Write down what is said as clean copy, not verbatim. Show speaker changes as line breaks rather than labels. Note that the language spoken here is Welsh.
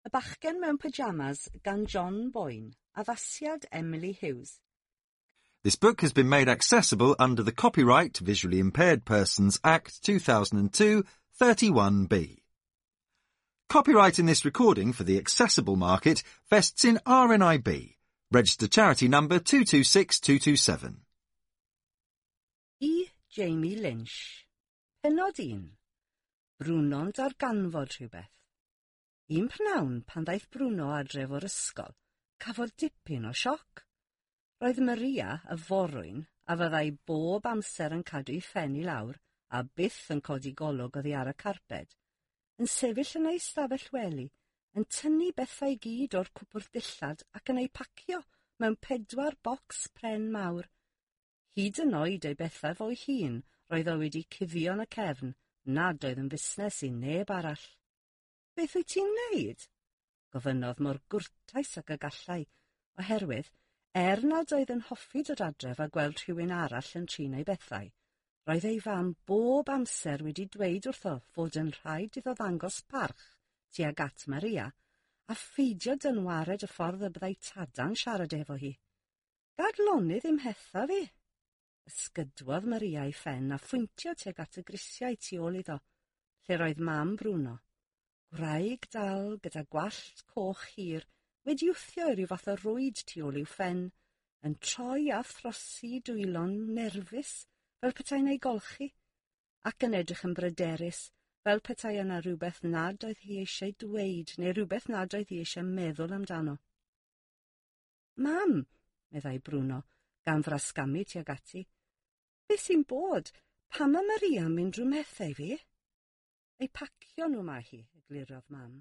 Y Bachgen Mewn Pyjamas gan John Boyne, addasiad Emily Hughes.
This book has been made accessible under the Copyright Visually Impaired Persons Act 2002 31B. Copyright in this recording for the accessible market vests in RNIB, registered charity number 226227.
I Jamie Lynch. Pennod 1. Bruno'n darganfod rhywbeth. Un pnawn pan ddaeth Bruno adref o'r ysgol, cafodd dipyn o sioc. Roedd Maria, y forwyn, a fyddai bob amser yn cadw'i phen i lawr a byth yn codi golwg oddi ar y carped, yn sefyll yn ei stafell wely, yn tynnu bethau i gyd o'r cwpwrdd dillad ac yn eu pacio mewn 4 bocs pren mawr. Hyd yn oed ei bethau fo'i hun roedd o wedi cuddio yn y cefn nad oedd yn fusnes i neb arall. Beth wyt ti'n wneud? Gofynnodd mor gwrtais ag y gallai, oherwydd, er nad oedd yn hoffi dod adref a gweld rhywun arall yn trin ei bethau, roedd ei fam bob amser wedi dweud wrtho fod yn rhaid iddo ddangos parch tuag at Maria a pheidio dynwared y ffordd y byddai tada'n siarad efo hi. Gad lonydd i'm hetha fi. Ysgydwodd Maria ei phen a phwyntio tuag at y grisiau tu ôl iddo, lle roedd mam Bruno. Gwraig dal gyda gwallt coch hir wedi wthio i ryw fath o rwyd tu ôl i'w phen, yn troi a throsi dwylo'n nerfus fel petai'n ei golchi, ac yn edrych yn bryderus fel petai yna rhywbeth nad oedd hi eisiau dweud neu rhywbeth nad oedd hi eisiau meddwl amdano. Mam, meddai Bruno, gan frasgamu tuag ati, beth sy'n bod? Pam mae Maria yn mynd drwy methau fi? Ei pacio nhw mae hi, eglurodd mam.